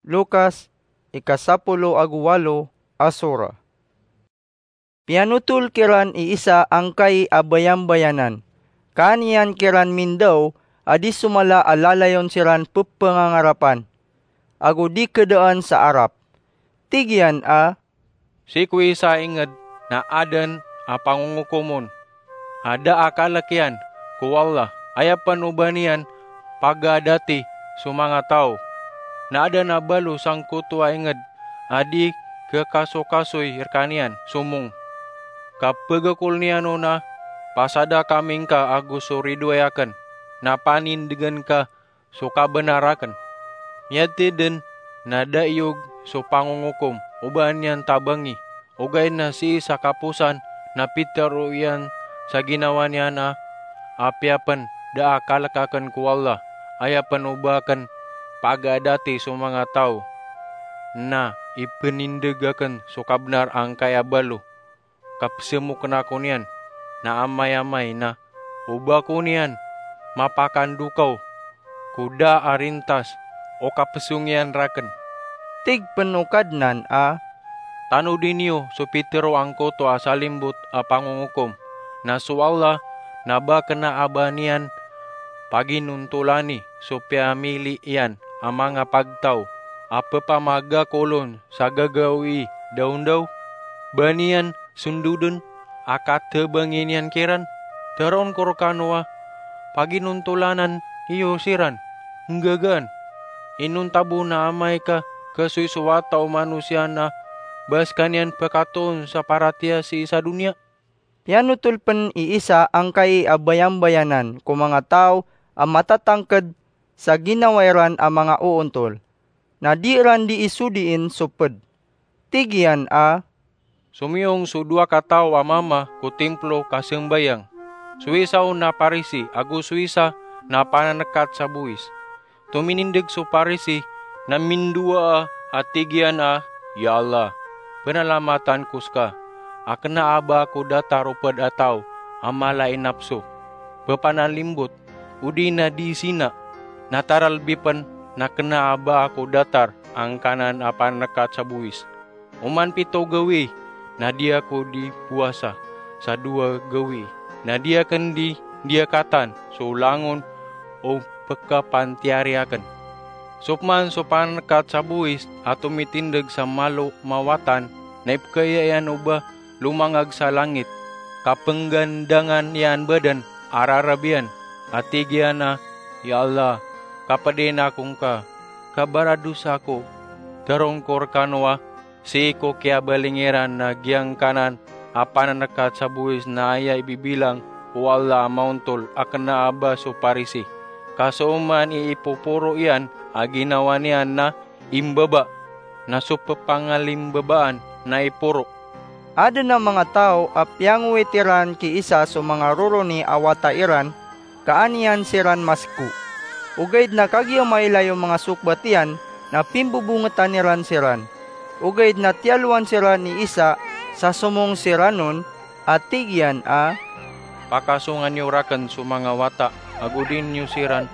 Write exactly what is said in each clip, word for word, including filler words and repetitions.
Lukas, ika sapolo ago walo a sura. Piyanotol kiran i Isa angkai a bayambayanan. Kaaniyan kiran mindaw a di somala a lalayon siran pepangangarapan, ago di kedaan sa arap. Tig iyan a, "Sii ko isa a inged na aden a pangongokom on a da a kalek iyan ko Allah, aya pen o ba niyan pagaadati so manga taw, na aden a balo sangkoto a inged a di kekasokasoy rekaniyan somong. Ka pegekol niyan on a, 'Pasada kami ngka ago so ridoay aken, na panindegen ka so kabenar aken.' Miyatiden na da iyog so pangongokom o ba niyan tabangi, ogaid na sii sa kaposan na pitero iyan sa ginawa niyan a, 'Apiya pen da a kalek aken ko Allah, aya pen o ba aken pagaadati so manga taw, na ipenindeg aken so kabenar angkai a balo, ka pesemoken ako niyan na amay-amay na o ba ko niyan mapakandokaw ko da a rintas o kapesong iyan raken.' Tig pen o Kadnan a, "Tanodi niyo so pitero angkoto a salimbot a pangongokom, na so Allah na ba kena a ba niyan paginontolani so piyamili iyan a manga pagtaw a pepamagakolon sa gagawii dawndaw? Ba niyan sondoden a katebangi niyan kiran? Teroon ko rekano a paginontolanan iyo siran nggagaan. Inonta bo na amay ka kesoy so wata o manosiya na ba sekaniyan pekatoon sa paratiyaya sii sa doniya?" Piyanotol pen i Isa angkai a bayambayanan ko manga taw a matatangked sa ginawa iran a manga oontol, na di iran dii sodien so ped. Tig iyan a, "Somiyong so dowa kataw a mama ko timplo kasembayang, so isa on na Parisi ago so isa na pananekat sa bowis. Tominindeg so Parisi na mindowaa a tig iyan a, 'Ya Allah, penalamatan ko seka a kena a ba ako datar o ped a taw a mala i napso, pepanalimbot, odi na di sina, na taralbi pen na kena a ba ako datar angkanan a pananekat sa bowis. Oman pito gawii na di ako di powasa, sa dowa gawii na di aken di diyakatan so langon o pekapantiyari aken.' Sopeman so pananekat sa bowis a tomitindeg sa malo mawatan na ipekaya iyan o ba lomangag sa langit, ka penggandangan iyan baden a rarab iyan, a tig iyan a, 'Ya Allah, kapedin ako ngka, ka baradosa ako.' Teroon ko rekano a sii ko kiyabalingiran na giyangkanan a pananekat sa bowis na aya ibibilang o Allah a maontol a kena a ba so Parisi, ka so oman i ipoporo iyan a ginawa niyan na imbaba, na so pepangalimbabaan na iporo." Aden a manga taw a piyangowit iran ki Isa so manga roroni a wata iran, ka an iyan siran maseko. Ogaid na kagiya mailay o manga sokbat iyan na pimbobongetan iran siran. Ogaid na tiyalowan siran i Isa sa somong siran on, a tig iyan a, "Pakasonga niyo raken so manga wata, ago di niyo siran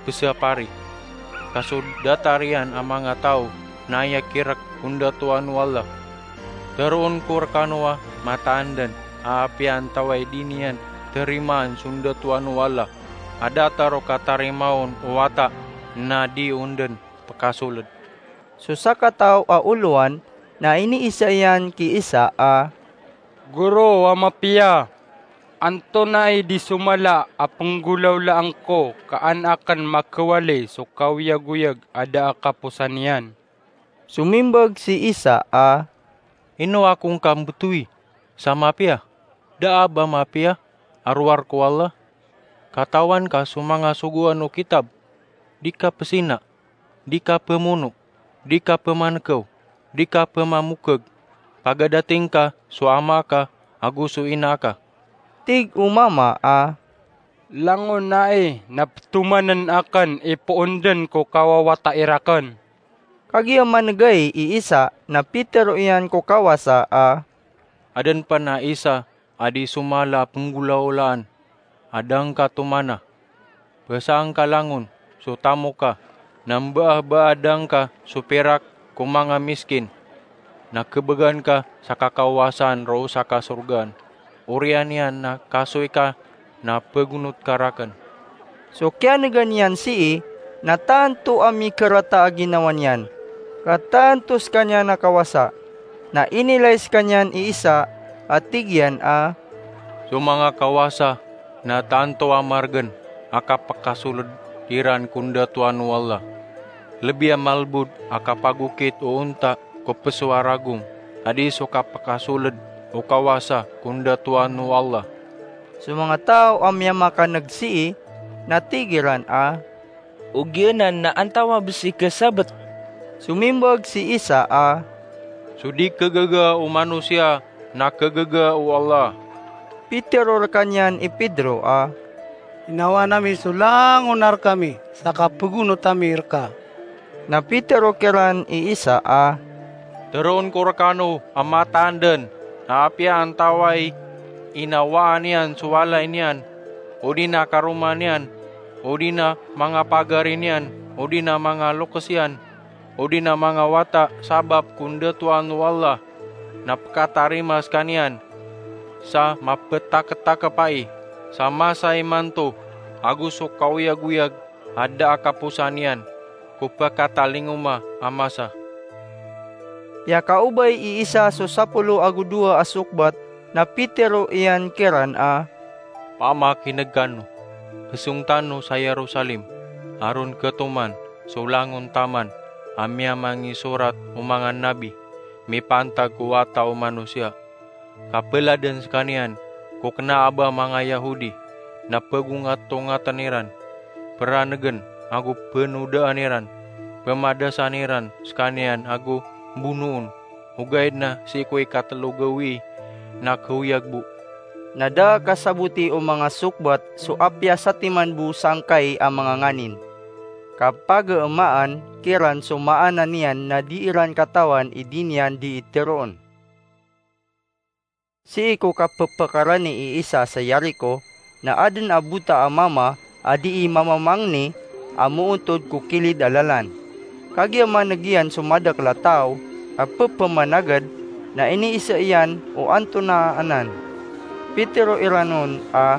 pesapari. Ka so datar iyan a manga taw na aya kirek on datoan o Allah. Teroon ko rekano a mataan den a apiya antawaa i di niyan terimaan so ndatoan o Allah a datar o katarimaa on o wata, na di on den pekasoled." So sakataw a olowan na iniisa iyan ki Isa a, "Goro a mapiya, antonaa i di somala a penggolawlaan ko ka an aken makawali so kawiyagoyag a da a kaposan iyan?" Somimbag si Isa a, "Ino ako ngka mbetowi sa mapiya? Da a ba mapiya a rowar ko Allah. Katawan ka so manga sogoan o kitab: di ka pesina, di ka pemono, di ka pemanekew, di ka pemamokeg, pagadati ngka so ama ka ago so ina ka." Tig o mama a, "Langonai na petomanen aken i poon den ko kawawata i raken." Kagiya manegai i Isa na pitero iyan ko kawasa a, "Aden pen a isa a di somala a penggolawlaan a da ngka tomana. Pesang ka langon so tamok ka, na mbaabaadan ka so pirak ko manga miskin, na kebgan ka sa kakawasaan roo sa kasorgaan. Oriyan iyan na kasoy ka na pegonot ka raken." So kiyanegan iyan sii na tanto a mikerata a ginawa niyan, ka tanto sekaniyan a kawasa. Na inilay sekaniyan i Isa a tig iyan a, "So manga kawasa na tanto a margen a kapekasoled iran ko ndatoan o Allah. Lebi a malbod a kapagokit o onta ko peso a ragong, a di so kapekasoled o kawasa ko ndatoan o Allah." So manga taw a miyamakaneg sii na tig iran a, "Ogiyanan na antawaa bo si kesabet?" Somimbag si Isa a, "So di kegaga o manosiya na kegaga o Allah." Pitero rekaniyan i Pedro a, "Inawaan ami so langon a rekami sa kapegonot ami reka." Na pitero kiran i Isa a, "Teroon ko rekano a mataan den na apiya antawaa i inawaan iyan so walay niyan, odi na karoma niyan, odi na manga pagari niyan, odi na manga lokes iyan, odi na manga wata, sabap ko ndatoan o Allah na pekatarima sekaniyan sa mapetaketakep ai, sa masa imanto ago so kaoyagoyag a da a kaposan iyan ko pekatalingoma a masa." Piyakaobay i Isa so sapolo ago dowa a sokbat, na pitero iyan kiran a, "Pamakineg kano, kesong tano sa Yerusalem, aron ketoman so langon taman a miyamangisorat o manga nabi mipantag ko Wata o Manosiya. Kapeladen sekaniyan ko kena a ba manga Yahudi na pegongatongaten iran, peranegen ago penodaan iran, pemadasan iran sekaniyan ago bonoon, ogaid na sii ko ikatelo gawii na keoyag bo." Na da a kasaboti o manga sokbat so apiya satiman bo sangkai a manga nganin, ka pageemaan kiran so maana niyan na di iran katawan i di niyan dii teroon. Sii ko kapepekarani i Isa sa Yerico, na aden a bota a mama a dii mamamangni a moontod ko kilid a lalan. Kagiya maneg iyan so madakel a taw a pepemanagad, na iniisa iyan o antonaa anan. Pitero iran on a,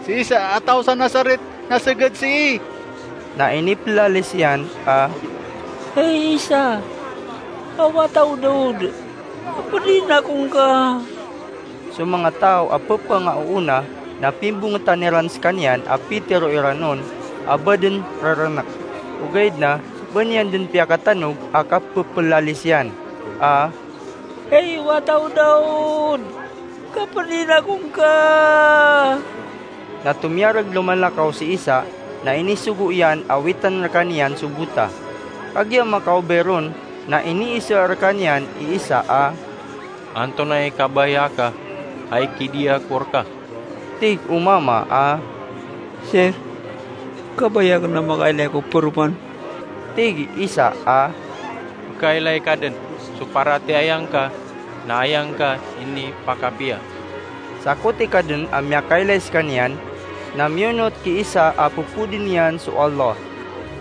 "Si Isa a taw sa Nazaret na seged sii." Na inipelalis iyan a, "Hay Isa a wata o Daud, kapedin akongka." So manga taw a pepengaoona na pimbongetan iran sekaniyan a pitero iran on a ba den rerenek. Ogaid na ba niyan den piyakatanog a kapepelalis iyan a, "Hay wata o Daud, kapedin akongka." Na tomiyareg lomalakaw si Isa, na inisogo iyan a witan rekaniyan so bota. Kagiya makaobay ron, na iniisa rekaniyan i Isa a, "Antonaa i kabaya ka a ikidiya ko reka?" Tig o mama a, "Sir, kabaya aken a makailay ko peroman." Tig i Isa a, "Pekailay ka den so paratiyaya ngka na aya ngka inipakapiya." Sakoti ka den a miyakailay sekaniyan, na miyonot ki Isa a pepodi niyan so Allah.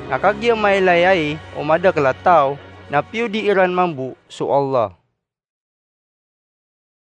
Na kagiya mailay ai o madakel a taw, na piyodi iran mambo so Allah.